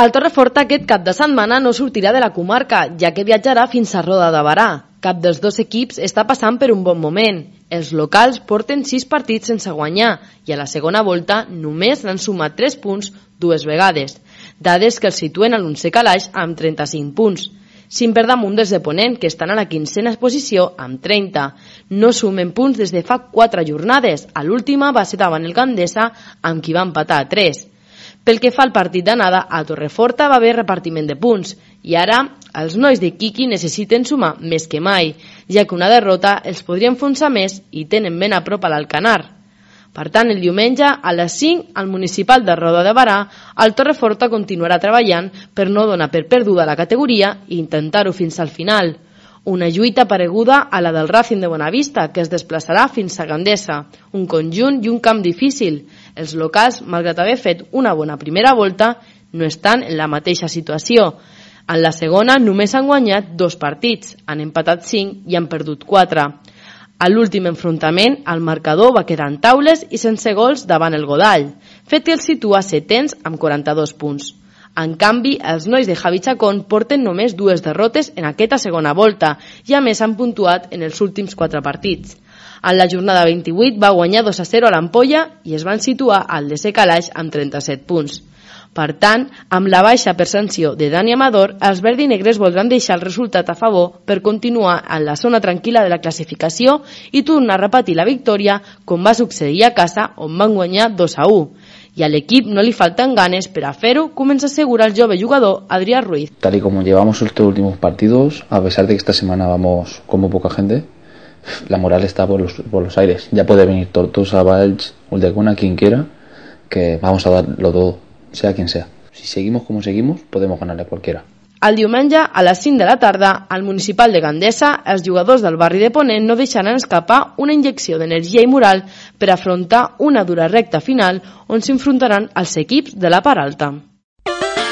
El Torreforta aquest cap de setmana no sortirà de la comarca, ja que viatjarà fins a Roda de Berà. Cap dels dos equips està passant per un bon moment. Els locals porten 6 partits sense guanyar i a la segona volta només n'han sumat 3 punts 2 vegades, dades que els situen a l'11è calaix amb 35 punts. 5 per damunt dels de Ponent, que estan a la 15a posició amb 30. No sumen punts des de fa 4 jornades. A l'última va ser davant el Gandesa, amb qui va empatar a 3. Pel que fa al partit d'anada, a Torreforta va haver repartiment de punts i ara els nois de Quiqui necessiten sumar més que mai, ja que una derrota els podria enfonsar més i tenen ben a prop a l'Alcanar. Per tant, el diumenge a les 5 al municipal de Roda de Berà, el Torreforta continuarà treballant per no donar per perduda la categoria i intentar-ho fins al final. Una lluita pareguda a la del Racing de Bonavista, que es desplaçarà fins a Gandesa, un conjunt i un camp difícil. Els locals, malgrat haver fet una bona primera volta, no estan en la mateixa situació. En la segona només han guanyat 2 partits, han empatat 5 i han perdut 4. A l'últim enfrontament, el marcador va quedar en taules i sense gols davant el Godall, fet que els situa setens amb 42 punts. En canvi, els nois de Javi Chacón porten només 2 derrotes en aquesta segona volta i a més han puntuat en els últims 4 partits. En la jornada 28 va guanyar 2-0 a l'Ampolla i es van situar al 10è calaix amb 37 punts. Per tant, amb la baixa per sanció de Dani Amador, els verdinegres voldran deixar el resultat a favor per continuar en la zona tranquil·la de la classificació i tornar a repetir la victòria com va succeir a casa on van guanyar 2-1. Y al equipo no le faltan ganes para hacerlo, como se asegura el joven jugador Adrián Ruiz. Tal y como llevamos estos últimos partidos, a pesar de que esta semana vamos como poca gente, la moral está por los aires. Ya puede venir Tortosa, Valls, Ulldecona, quien quiera, que vamos a darlo todo, sea quien sea. Si seguimos como seguimos, podemos ganarle a cualquiera. El diumenge, a les 5 de la tarda, al municipal de Gandesa, els jugadors del barri de Ponent no deixaran escapar una injecció d'energia i moral per afrontar una dura recta final on s'enfrontaran els equips de la part alta.